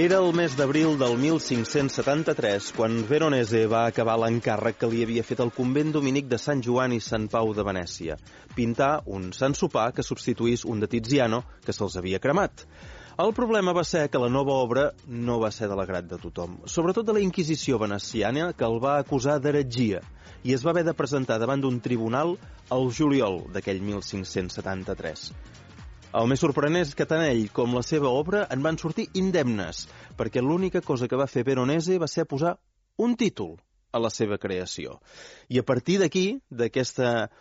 Era el mes d'abril del 1573 quan Veronese va acabar l'encàrrec que li havia fet el convent dominic de Sant Joan i Sant Pau de Venècia, pintar un Sant Sopar que substituís un de Tiziano que se'ls havia cremat. El problema va ser que la nova obra no va ser de l'agrat de tothom, sobretot de la Inquisició veneciana, que el va acusar d'heretgia, i es va haver de presentar davant d'un tribunal al juliol d'aquell 1573. El més sorprenent és que tant ell com la seva obra en van sortir indemnes, perquè l'única cosa que va fer Veronese va ser posar un títol a la seva creació. I a partir d'aquí, d'aquesta,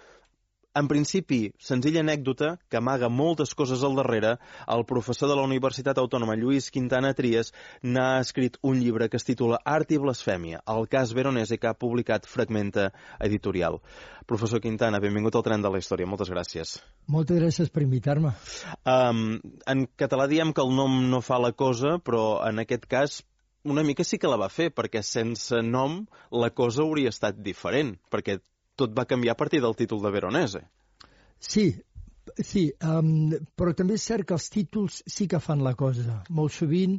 en principi, senzilla anècdota que amaga moltes coses al darrere, el professor de la Universitat Autònoma Lluís Quintana Trias n'ha escrit un llibre que es titula Art i blasfèmia, el cas Veronese, que ha publicat Fragmenta Editorial. Professor Quintana, benvingut al Tren de la Història. Moltes gràcies. Moltes gràcies per invitar-me. En català diem que el nom no fa la cosa, però en aquest cas una mica sí que la va fer, perquè sense nom la cosa hauria estat diferent, perquè tot va canviar a partir del títol de Veronese. Sí, però també és cert que els títols sí que fan la cosa. Molt sovint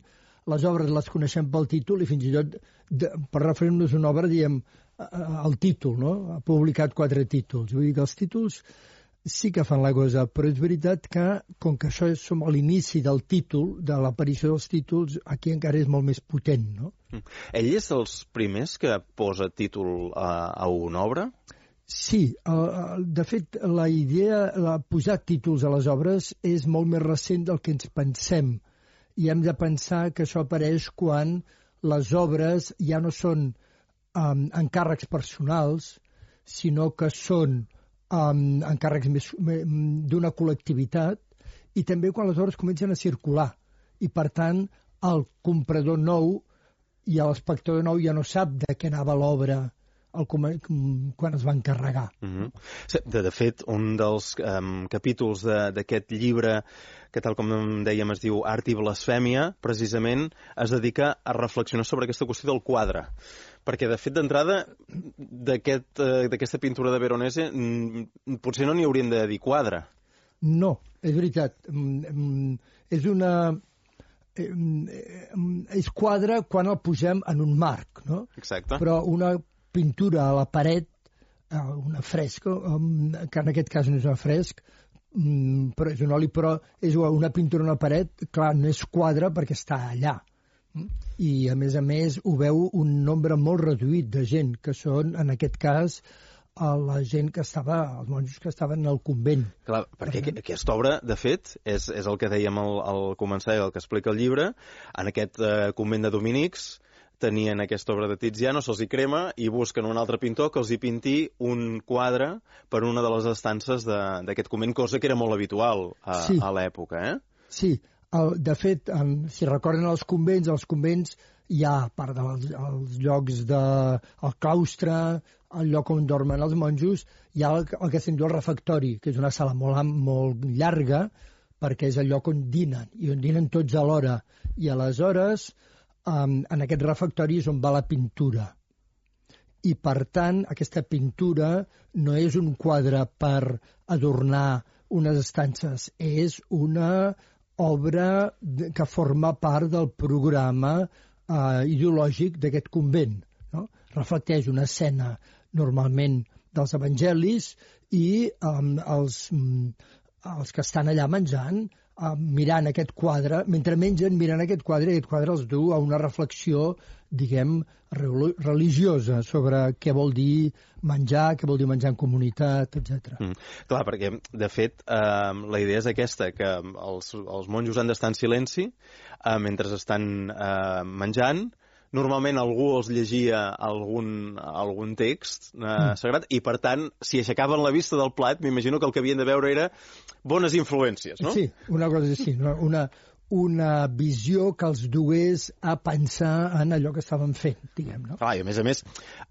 les obres les coneixem pel títol i fins i tot, per referir-nos a una obra, diem el títol, no? Ha publicat 4 títols. Vull dir que els títols sí que fan la cosa, però és veritat que, com que això som a l'inici del títol, de l'aparició dels títols, aquí encara és molt més potent, no? Ell és dels primers que posa títol a una obra? Sí, de fet, la idea de posar títols a les obres és molt més recent del que ens pensem. I hem de pensar que això apareix quan les obres ja no són encàrrecs personals, sinó que són encàrrecs d'una col·lectivitat, i també quan les obres comencen a circular. I, per tant, el comprador nou i l'espectador nou ja no sap de què anava l'obra quan es va encarregar. De fet, un dels capítols d'aquest llibre, que tal com dèiem es diu Art i blasfèmia, precisament es dedica a reflexionar sobre aquesta qüestió del quadre. Perquè, de fet, d'entrada, d'aquesta pintura de Veronese potser no n'hi haurien de dir quadre. No, és veritat. És quadre quan el posem en un marc, no? Exacte. Però una pintura a la paret, una fresca, que en aquest cas no és un fresc, però és un oli, però és una pintura a una paret, clar, no és quadre perquè està allà. I, a més, ho veu un nombre molt reduït de gent, que són, en aquest cas, la gent que estava, els monjos que estaven al convent. Clar, perquè aquesta obra, de fet, és el que dèiem al començar, el que explica el llibre. En aquest convent de dominics tenien aquesta obra de Tiziano, se'ls hi crema i busquen un altre pintor que els hi pinti un quadre per una de les estances d'aquest convent, cosa que era molt habitual a l'època, Sí, de fet, si recorden els convents hi ha, a part dels llocs del claustre, el lloc on dormen els monjos, hi ha el que se'n diu el refectori, que és una sala molt llarga, perquè és el lloc on dinen, i on dinen tots alhora. I aleshores, en aquest refectori és on va la pintura. I, per tant, aquesta pintura no és un quadre per adornar unes estances, és una obra que forma part del programa ideològic d'aquest convent, no? Reflecteix una escena normalment dels evangelis i els que estan allà menjant, mirant aquest quadre, mentre mengen, mirant aquest quadre, i aquest quadre els du a una reflexió, diguem, religiosa sobre què vol dir menjar, què vol dir menjar en comunitat, etc. Clar, perquè, de fet, la idea és aquesta, que els monjos han d'estar en silenci mentre estan menjant. Normalment algú els llegia algun text sagrat i, per tant, si aixecaven la vista del plat, m'imagino que el que havien de veure era bones influències, no? Sí, una cosa així, una visió que els dugués a pensar en allò que estaven fent, diguem, no? Clar, i a més,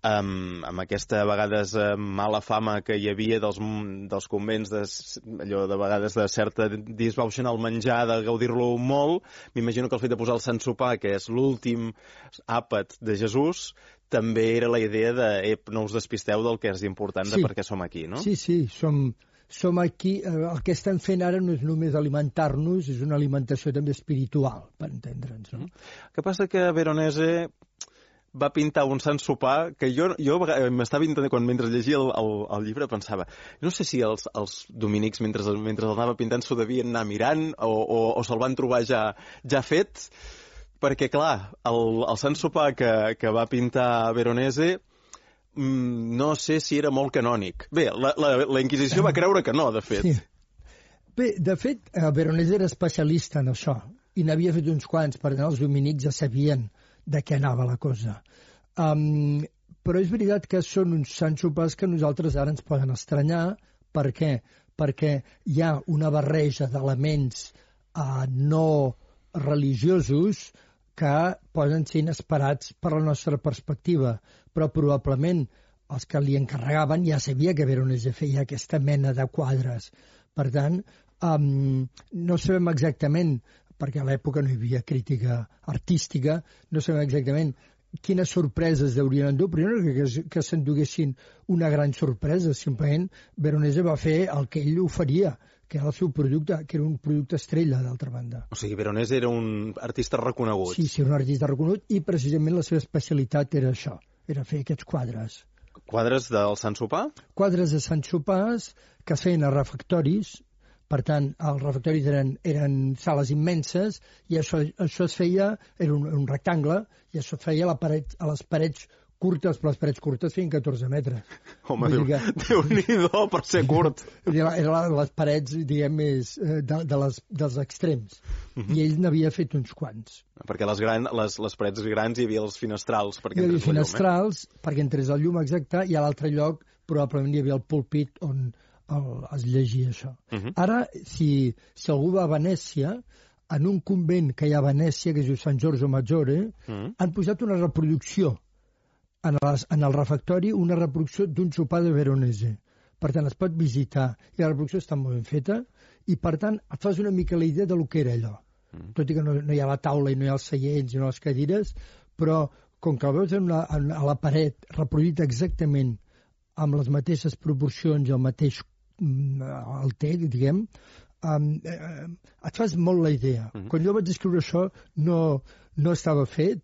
amb aquesta, a vegades, mala fama que hi havia dels convents, allò de vegades de certa disbauxar el menjar, de gaudir-lo molt, m'imagino que el fet de posar el Sant Sopar, que és l'últim àpat de Jesús, també era la idea de no us despisteu del que és important de per què som aquí, no? Sí, som aquí, el que estem fent ara no és només alimentar-nos, és una alimentació també espiritual, per entendre'ns, no? El que passa que Veronese va pintar un sant sopar que jo m'estava intentant, quan mentre llegia el llibre, pensava, no sé si els dominics, mentre el anava pintant, s'ho devien anar mirant o se'l van trobar ja fet, perquè, clar, el sant sopar que va pintar Veronese no sé si era molt canònic. Bé, la Inquisició va creure que no, de fet. Sí. Bé, de fet, Veronese era especialista en això, i n'havia fet uns quants, per tant els dominics ja sabien de què anava la cosa. Però és veritat que són uns sants sopars que a nosaltres ara ens poden estranyar. Per què? Perquè hi ha una barreja d'elements no religiosos que poden ser inesperats per la nostra perspectiva, però probablement els que li encarregaven ja sabia que Veronese feia aquesta mena de quadres. Per tant, no sabem exactament, perquè a l'època no hi havia crítica artística, no sabem exactament quines sorpreses deurien endur, però jo no crec que s'enduguessin una gran sorpresa. Simplement Veronese va fer el que ell oferia, que era el seu producte, que era un producte estrella, d'altra banda. O sigui, Veronese era un artista reconegut. Sí, un artista reconegut, i precisament la seva especialitat era això, era fer aquests quadres. Quadres del Sant Sopar? Quadres de Sant Sopars que es feien a refectoris. Per tant, els refectoris eren sales immenses i això es feia, era un rectangle, i això es feia a les parets curtes, però les parets curtes feien 14 metres. Home, Déu-n'hi-do per ser curt. Eren les parets, diguem, més dels extrems. I ell n'havia fet uns quants. Perquè les parets grans hi havia els finestrals perquè entrés la llum. Hi havia finestrals perquè entrés la llum, exacte, i a l'altre lloc probablement hi havia el púlpit on es llegia això. Ara, si algú va a Venècia, en un convent que hi ha a Venècia, que es diu Sant Giorgio Maggiore, han posat una reproducció en el refectori, una reproducció d'un sopar de Veronese. Per tant, es pot visitar, i la reproducció està molt ben feta, i per tant, et fas una mica la idea de lo que era allò. Tot i que no hi ha la taula i no hi ha els seients i no les cadires, però com que el veus a la paret reproduït exactament amb les mateixes proporcions i el mateix diguem, et fas molt la idea. Quan jo vaig escriure això no estava fet,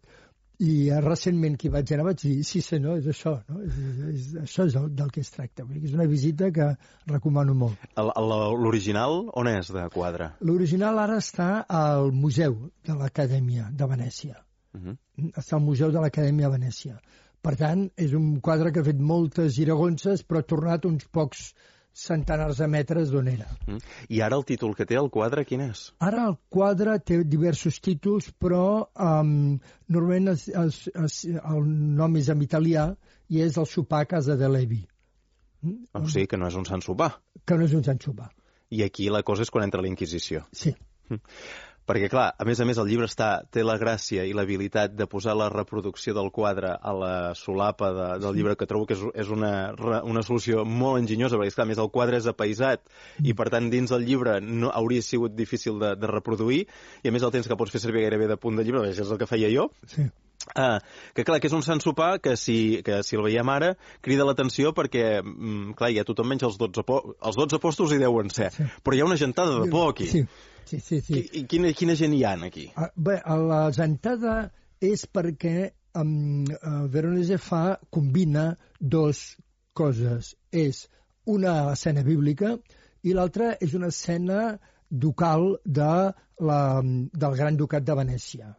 i recentment que hi vaig anar vaig dir, sí senyor, és això, no? Això és del que es tracta. És una visita que recomano molt. L'original on és de quadre? L'original ara està al Museu de l'Acadèmia de Venècia. Està al Museu de l'Acadèmia de Venècia. Per tant, és un quadre que ha fet moltes giragonses, però ha tornat uns pocs centenars de metres d'on era. I ara el títol que té el quadre, quin és? Ara el quadre té diversos títols, però normalment el nom és en italià i és el sopar a casa de Levi. O sigui que no és un sant sopar. Que no és un sant sopar. I aquí la cosa és quan entra la Inquisició. Sí. Perquè, clar, a més, el llibre té la gràcia i l'habilitat de posar la reproducció del quadre a la solapa del llibre, que trobo que és una solució molt enginyosa, perquè, clar, a més, el quadre és apaïsat i, per tant, dins del llibre no hauria sigut difícil de reproduir, i, a més, el temps que pots fer servir gairebé de punt de llibre, això és el que feia jo. Sí. Que clar, que és un sant sopar que si el veiem ara crida l'atenció perquè, clar, ja tothom menja els 12 apòstols hi deuen ser, però hi ha una gentada de por aquí. Sí. I quina gent hi ha aquí? Bé, la gentada és perquè Veronese combina dues coses. És una escena bíblica i l'altra és una escena ducal del Gran Ducat de Venècia.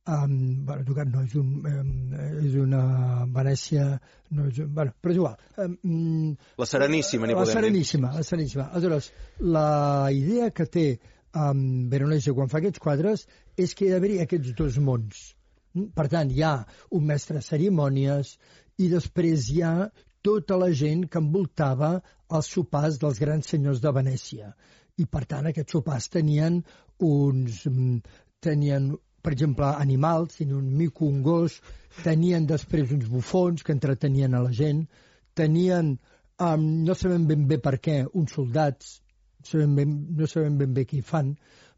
Ducat no, és una Venècia... però és igual. La Sereníssima, n'hi podem dir. La Sereníssima. Aleshores, la idea que té Veronese quan fa aquests quadres és que hi ha d'haver aquests dos mons. Per tant, hi ha un mestre de cerimònies i després hi ha tota la gent que envoltava els sopars dels grans senyors de Venècia. I, per tant, aquests sopars tenien, per exemple, animals, tenien un mico, un gos, tenien després uns bufons que entretenien a la gent, tenien, no sabem ben bé per què, uns soldats, no sabem ben bé què hi fan,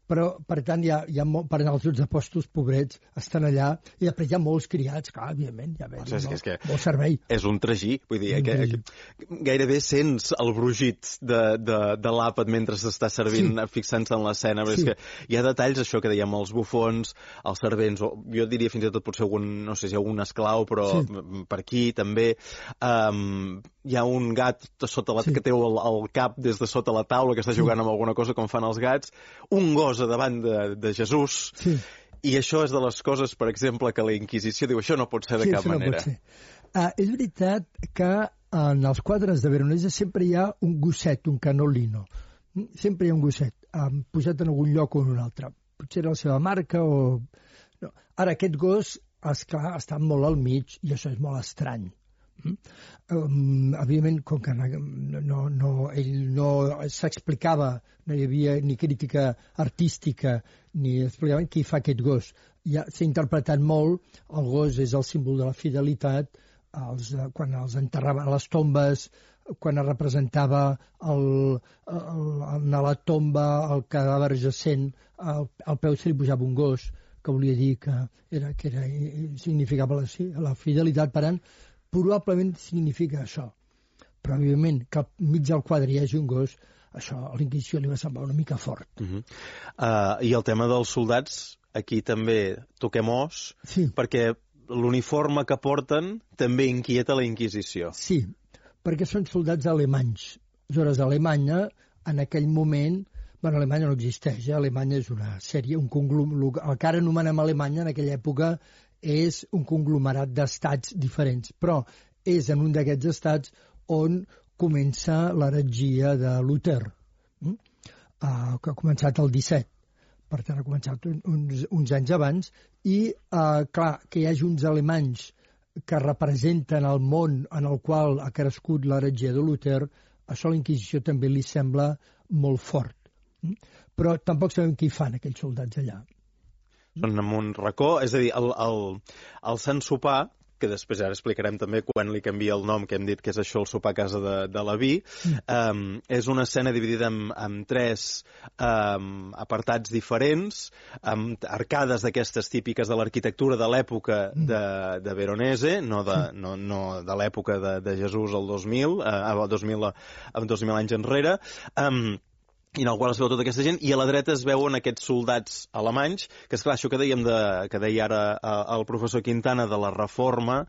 però, per tant, per anar als Jocs Apòstols, pobrets, estan allà, i després hi ha molts criats, clar, evidentment, molt servei. És un tragí, vull dir, gairebé sents el brugit de l'àpat mentre s'està servint, fixant-se en l'escena, però és que hi ha detalls, això que dèiem, els bufons, els servents, o jo diria fins i tot potser no sé si algun esclau, però per aquí també hi ha un gat que té el cap des de sota la taula, que està jugant amb alguna cosa com fan els gats, un gos a davant de Jesús, i això és de les coses, per exemple, que la Inquisició diu, això no pot ser de cap manera. És veritat que en els quadres de Veronese sempre hi ha un gosset, un canolino. Sempre hi ha un gosset, posat en algun lloc o en un altre. Potser era la seva marca o... No. Ara, aquest gos, esclar, està molt al mig i això és molt estrany. Evidentment, com que ell no s'explicava, no hi havia ni crítica artística, ni explicaven qui fa aquest gos. S'ha interpretat molt, el gos és el símbol de la fidelitat, quan els enterraven a les tombes, quan es representava a la tomba el cadàver jacent, al peu se li posava un gos, que volia dir que significava la fidelitat. Per tant, probablement significa això. Però, evidentment, que al mig del quadre hi hagi un gos, això a l'Inquisició li va semblar una mica fort. I el tema dels soldats, aquí també toquem os, perquè l'uniforme que porten també inquieta la Inquisició. Sí, perquè són soldats alemanys. Aleshores, Alemanya, en aquell moment... Bueno, Alemanya no existeix, Alemanya és una sèrie, el que ara anomenem Alemanya en aquella època és un conglomerat d'estats diferents, però és en un d'aquests estats on comença l'heretgia de Luther, que ha començat el 17, per tant ha començat uns anys abans, i clar, que hi hagi uns alemanys que representen el món en el qual ha crescut l'heretgia de Luther, això a la Inquisició també li sembla molt fort. Però tampoc sabem qui fan aquells soldats allà. Són en un racó, és a dir, el Sant Sopar, que després ara explicarem també quan li canvia el nom, que hem dit que és això, el sopar a casa de Leví, és una escena dividida en tres apartats diferents, amb arcades d'aquestes típiques de l'arquitectura de l'època de Veronese, no de l'època de Jesús al 2000, 2000 anys enrere, i en el qual es veu tota aquesta gent, i a la dreta es veuen aquests soldats alemanys, que esclar, això que deia ara el professor Quintana de la reforma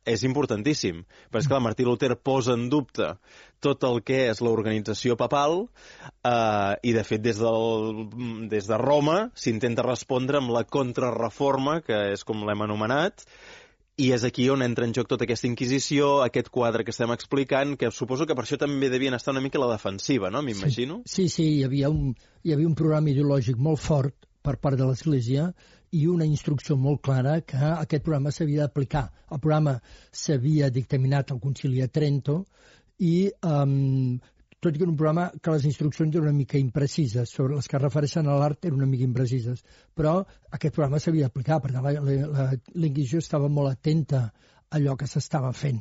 és importantíssim, perquè esclar, Martí Luter posa en dubte tot el que és l'organització papal, i de fet des de Roma s'intenta respondre amb la contrarreforma, que és com l'hem anomenat, i és aquí on entra en joc tota aquesta Inquisició, aquest quadre que estem explicant, que suposo que per això també devien estar una mica a la defensiva, no? M'imagino. Sí, hi havia un programa ideològic molt fort per part de l'Església i una instrucció molt clara que aquest programa s'havia d'aplicar. El programa s'havia dictaminat al Concili de Trento i tot i que era un programa que les instruccions eren una mica imprecises, sobre les que es refereixen a l'art eren una mica imprecises, però aquest programa s'havia d'aplicar, perquè la Inquisició estava molt atenta a allò que s'estava fent.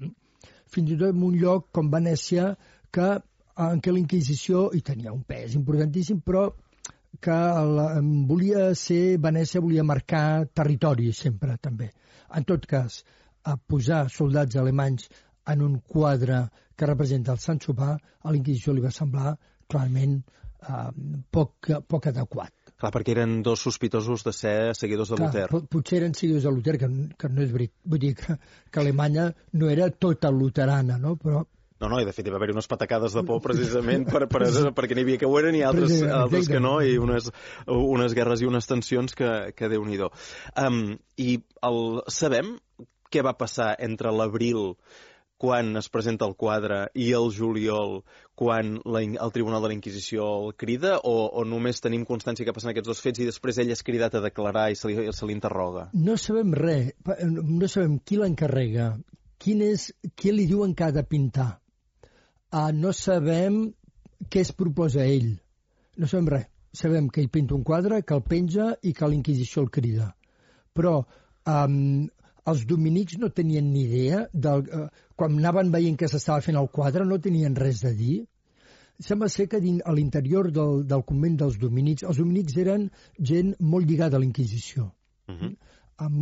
Fins i tot en un lloc com Venècia, en què la Inquisició hi tenia un pes importantíssim, però que Venècia volia marcar territori sempre, també. En tot cas, a posar soldats alemanys en un quadre que representa el Sant Sopar, a la Inquisició li va semblar clarament poc adequat. Clar, perquè eren dos sospitosos de ser seguidors de Luter. Potser eren seguidors de Luter, que no és veritat. Vull dir que Alemanya no era tota luterana, no? Però... No, i de fet hi va haver unes patacades de por precisament perquè n'hi havia que ho eren i altres que no, i unes guerres i unes tensions que Déu-n'hi-do. I sabem què va passar entre l'abril, quan es presenta el quadre, i el juliol, quan el Tribunal de la Inquisició el crida, o només tenim constància que passen aquests dos fets i després ell és cridat a declarar i se li interroga? No sabem res, no sabem qui l'encarrega, qui li diuen que ha de pintar. No sabem què es proposa ell, no sabem res. Sabem que ell pinta un quadre, que el penja i que l'Inquisició el crida. Però els dominics no tenien ni idea, quan anaven veient que s'estava fent el quadre no tenien res de dir. Sembla ser que a l'interior del convent dels dominics, els dominics eren gent molt lligada a la Inquisició. Amb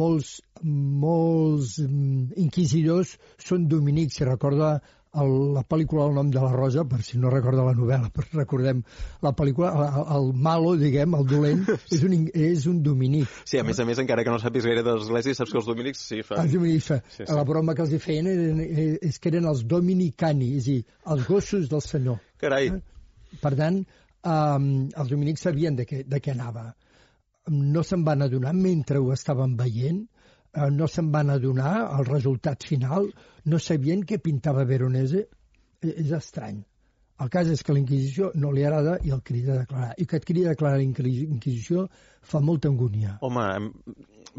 molts inquisidors són dominics. Si recorda la pel·lícula El nom de la rosa, per si no recorda la novel·la, però recordem la pel·lícula, el malo, diguem, el dolent, és un dominic. Sí, a més, encara que no sàpigues gaire de l'església, saps que els dominics sí fan... Els dominics fan. Sí. La broma que els hi feien és que eren els dominicani, és a dir, els gossos del senyor. Carai. Per tant, els dominics sabien de què anava. No se'n van adonar mentre ho estaven veient, no se'n van adonar al resultat final, no sabien què pintava Veronese. És estrany. El cas és que la Inquisició no li agrada i el crida a declarar. I que et crida a declarar la Inquisició fa molta angúnia. Home,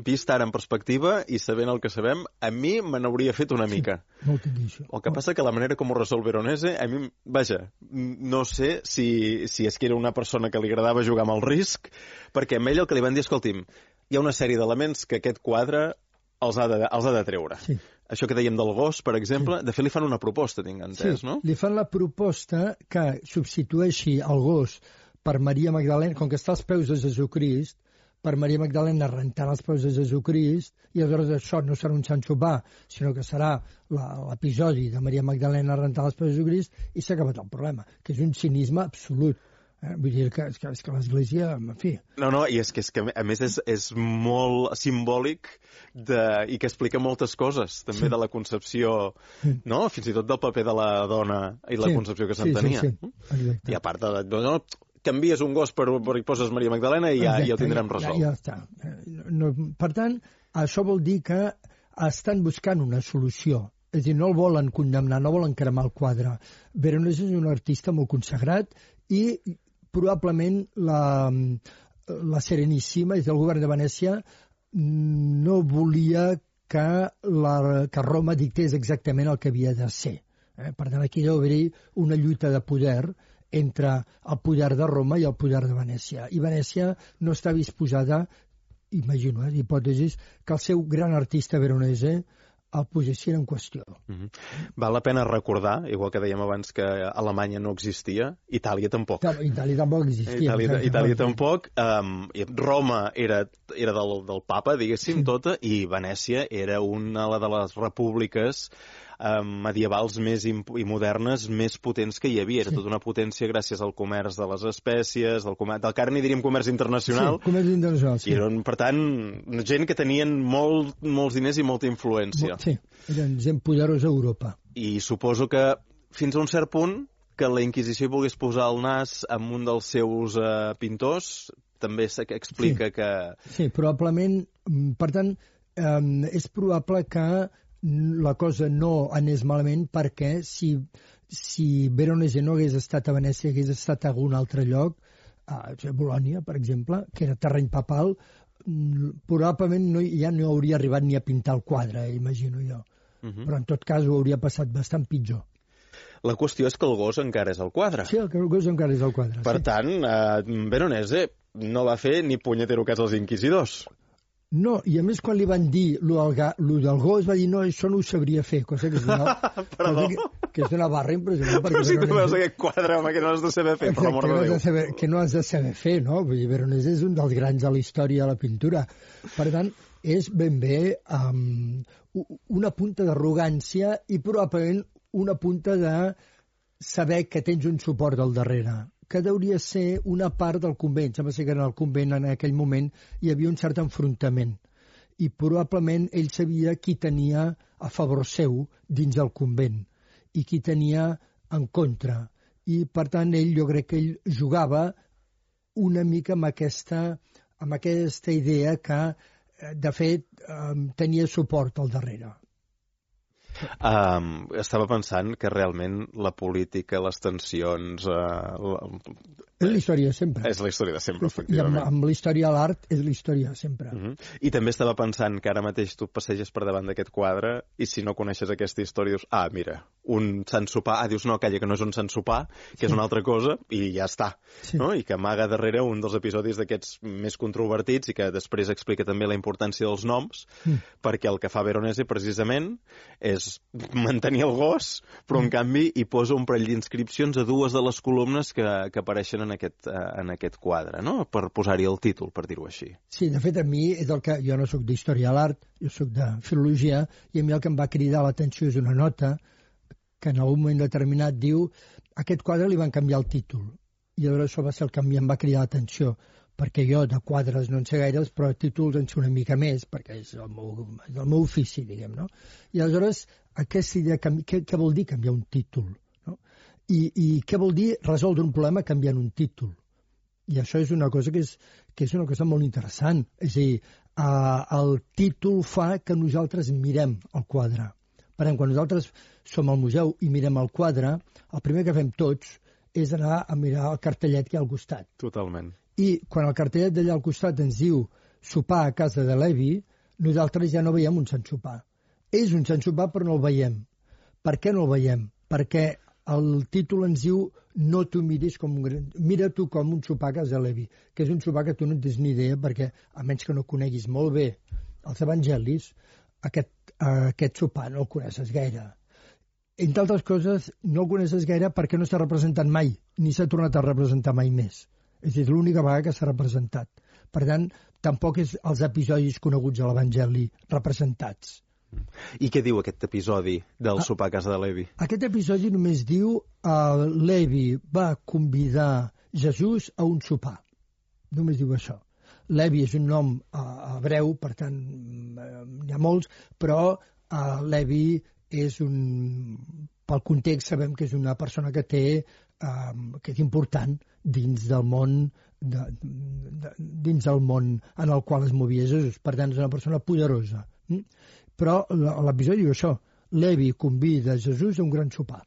vist ara en perspectiva i sabent el que sabem, a mi me n'hauria fet una mica. Sí, molta Inquisició. El que passa que la manera com ho resol Veronese, a mi, vaja, no sé si és que era una persona que li agradava jugar amb el risc, perquè a ell el que li van dir, escolti'm, hi ha una sèrie d'elements que aquest quadre els ha de treure. Sí. Això que dèiem del gos, per exemple, de fet li fan una proposta, tinc entès, no? Sí, li fan la proposta que substitueixi el gos per Maria Magdalena, com que està als peus de Jesucrist, per Maria Magdalena rentant els peus de Jesucrist, i aleshores això no serà un Sant Sopar, sinó que serà l'episodi de Maria Magdalena rentant els peus de Jesucrist, i s'ha acabat el problema, que és un cinisme absolut. Vull dir que l'Església, en fi... No, i és que a més és molt simbòlic i que explica moltes coses, també de la concepció, no? Fins i tot del paper de la dona i la concepció que se'n tenia. Sí. I a part de... canvies un gos per hi poses Maria Magdalena i ja ho tindrem resolt. Ja està. Per tant, això vol dir que estan buscant una solució. És a dir, no el volen condemnar, no volen cremar el quadre. Veronese és un artista molt consagrat i probablement la Sereníssima, és del govern de Venècia, no volia que Roma dictés exactament el que havia de ser. Per tant, aquí deu haver-hi una lluita de poder entre el poder de Roma i el poder de Venècia. I Venècia no està disposada, imagino, hipòtesis, que el seu gran artista Veronese el posessin en qüestió. Val la pena recordar, igual que dèiem abans que Alemanya no existia, Itàlia tampoc. Itàlia tampoc existia. Itàlia tampoc. Roma era del papa, diguéssim, tota, i Venècia era una de les repúbliques medievals i modernes més potents que hi havia. Era tota una potència gràcies al comerç de les espècies, del carn, i diríem comerç internacional. Sí, comerç internacional, sí. I eren, per tant, gent que tenien molts diners i molta influència. Sí, eren gent poderosa a Europa. I suposo que fins a un cert punt que la Inquisició volgués posar el nas en un dels seus pintors, també explica que... Sí, probablement, per tant, és probable que la cosa no anés malament, perquè si Veronese no hagués estat a Venècia, hagués estat a algun altre lloc, a Bolònia, per exemple, que era terreny papal, probablement ja no hauria arribat ni a pintar el quadre, imagino jo. Però en tot cas ho hauria passat bastant pitjor. La qüestió és que el gos encara és al quadre. Sí, el gos encara és al quadre. Per tant, Veronese no va fer ni punyetero cas als inquisidors. No, i a més quan li van dir lo del gos va dir no, això no ho sabria fer, cosa que és una barra impressionant. Però si tu veus aquest quadre, home, que no has de saber fer, per l'amor de Déu. Que no has de saber fer, no? Vull dir, Veronese és un dels grans de la història de la pintura. Per tant, és ben bé una punta d'arrogància i probablement una punta de saber que tens un suport al darrere, que hauria ser una part del convent. Sembla que en el convent en aquell moment hi havia un cert enfrontament i probablement ell sabia qui tenia a favor seu dins del convent i qui tenia en contra. I per tant jo crec que ell jugava una mica amb aquesta idea que de fet tenia suport al darrere. Estava pensant que realment la política, les tensions... És la història de sempre. És la història de sempre, efectivament. I amb la història de l'art és la història de sempre. I també estava pensant que ara mateix tu passeges per davant d'aquest quadre i si no coneixes aquesta història dius, mira, un Sant Sopar, dius, no, calla, que no és un Sant Sopar, que és una altra cosa, i ja està. Sí. No? I que amaga darrere un dels episodis d'aquests més controvertits i que després explica també la importància dels noms, perquè el que fa Veronese precisament és és mantenir el gos, però en canvi hi posa un parell d'inscripcions a dues de les columnes que apareixen en aquest quadre, no? Per posar-hi el títol, per dir-ho així. Sí, de fet, a mi és el que... Jo no sóc d'història de l'art, jo sóc de filologia, i a mi el que em va cridar l'atenció és una nota que en algun moment determinat diu aquest quadre li van canviar el títol. I llavors això va ser el que em va cridar l'atenció, perquè jo de quadres no en sé gaires, però títols en sé una mica més, perquè és el meu ofici, diguem, no? I aleshores, aquesta idea, què vol dir canviar un títol? No? I què vol dir resoldre un problema canviant un títol? I això és una cosa que és una cosa molt interessant. És a dir, el títol fa que nosaltres mirem el quadre. Per tant, quan nosaltres som al museu i mirem el quadre, el primer que fem tots és anar a mirar el cartellet que hi ha al costat. Totalment. I quan el cartellet d'allà al costat ens diu sopar a casa de Levi, nosaltres ja no veiem un sant sopar. És un sant sopar, però no el veiem. Per què no el veiem? Perquè el títol ens diu no t'ho miris com un gran... Mira tu com un sopar a casa de Levi, que és un sopar que tu no en tens ni idea, perquè a menys que no coneguis molt bé els evangelis, aquest sopar no el coneixes gaire. Entre altres coses, no el coneixes gaire perquè no s'ha representat mai, ni s'ha tornat a representar mai més. És a dir, l'única vegada que s'ha representat. Per tant, tampoc és els episodis coneguts a l'Evangeli representats. I què diu aquest episodi del sopar a casa de Levi? Aquest episodi només diu Levi va convidar Jesús a un sopar. Només diu això. Levi és un nom hebreu, per tant, n'hi ha molts, però Levi és un... Pel context sabem que és una persona que és important dins del món en el qual es movia Jesús. Per tant, és una persona poderosa. Però l'episodi diu això. Levi convida Jesús a un gran sopar.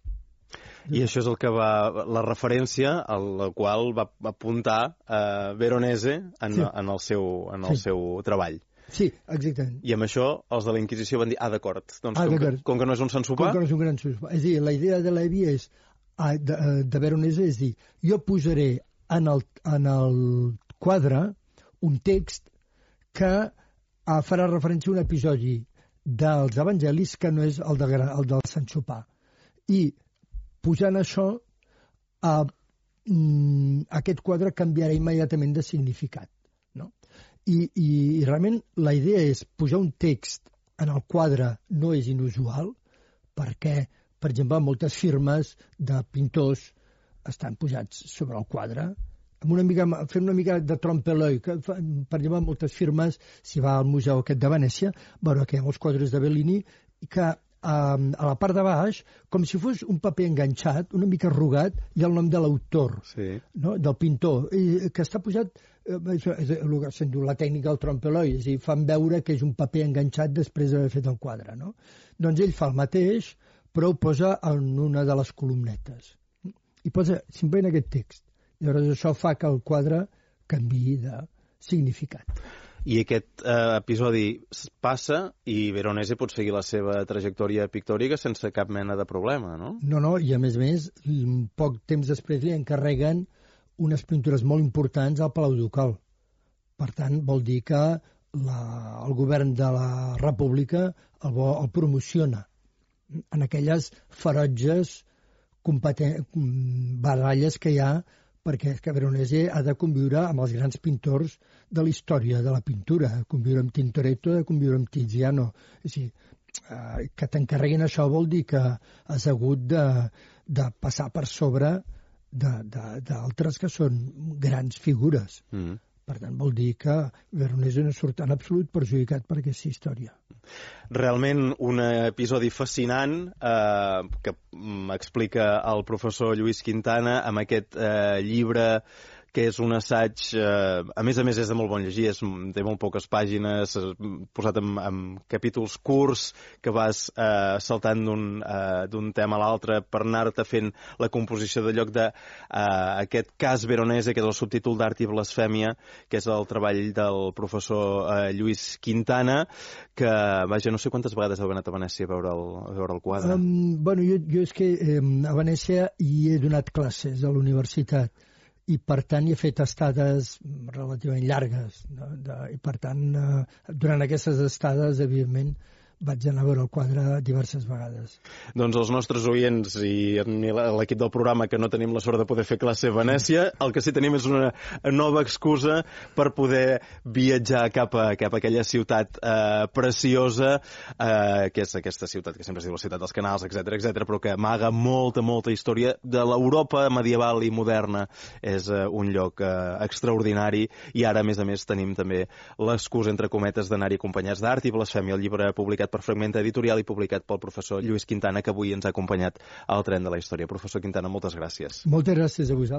I això és el que la referència a la qual va apuntar Veronese en el seu treball. Sí, exactament. I amb això els de la Inquisició van dir, d'acord, doncs com que no és un sant sopar... Com que no és un gran sopar. És a dir, la idea de Levi de Veronese és dir, jo posaré en el quadre un text que farà referència a un episodi dels evangelis que no és el del sant sopar. I posant això, aquest quadre canviarà immediatament de significat. I realment la idea és posar un text en el quadre no és inusual perquè, per exemple, moltes firmes de pintors estan posats sobre el quadre fent una mica de trompe-l'œil. Per exemple, moltes firmes, si va al museu aquest de Venècia, veurà que hi ha molts quadres de Bellini que a la part de baix, com si fos un paper enganxat, una mica arrugat, hi ha el nom de l'autor, no? Del pintor, que està posat, és el que se'n diu la tècnica del trompe-l'œil, és a dir, fan veure que és un paper enganxat després d'haver fet el quadre, no? Doncs ell fa el mateix, però ho posa en una de les columnetes. I posa simplement aquest text. Llavors això fa que el quadre canviï de significat. I aquest episodi passa i Veronese pot seguir la seva trajectòria pictòrica sense cap mena de problema, no? No, i a més, poc temps després li encarreguen unes pintures molt importants al Palau Ducal. Per tant, vol dir que el govern de la República el promociona en aquelles ferotges baralles que hi ha, perquè Veronese ha de conviure amb els grans pintors de la història de la pintura, conviure amb Tintoretto, de conviure amb Tiziano. És a dir, que t'encarreguin això vol dir que has hagut de passar per sobre d'altres que són grans figures. Per tant, vol dir que Veronese no surt en absolut perjudicat per aquesta història. Realment un episodi fascinant que explica el professor Lluís Quintana amb aquest llibre que és un assaig, a més és de molt bon llegir, té molt poques pàgines, posat en capítols curts que vas saltant d'un tema a l'altre per anar-te fent la composició de lloc d'aquest cas Veronese, que és el subtítol d'Art i Blasfèmia, que és el treball del professor Lluís Quintana, que, vaja, no sé quantes vegades heu anat a Venècia a veure el quadre. Bueno, jo és que a Venècia hi he donat classes a la universitat, i per tant hi he fet estades relativament llargues, no? I per tant, durant aquestes estades, evidentment, vaig anar a veure el quadre diverses vegades. Doncs els nostres oients i l'equip del programa, que no tenim la sort de poder fer classe a Venècia, el que sí tenim és una nova excusa per poder viatjar cap a aquella ciutat preciosa, que és aquesta ciutat que sempre es diu la ciutat dels canals, etc, però que amaga molta història de l'Europa medieval i moderna. És un lloc extraordinari, i ara, a més, tenim també l'excusa, entre cometes, d'anar-hi acompanyats d'Art i Blasfèmia, el llibre publicat per Fragmenta Editorial i publicat pel professor Lluís Quintana, que avui ens ha acompanyat al tren de la història. Professor Quintana, moltes gràcies. Moltes gràcies a vosaltres.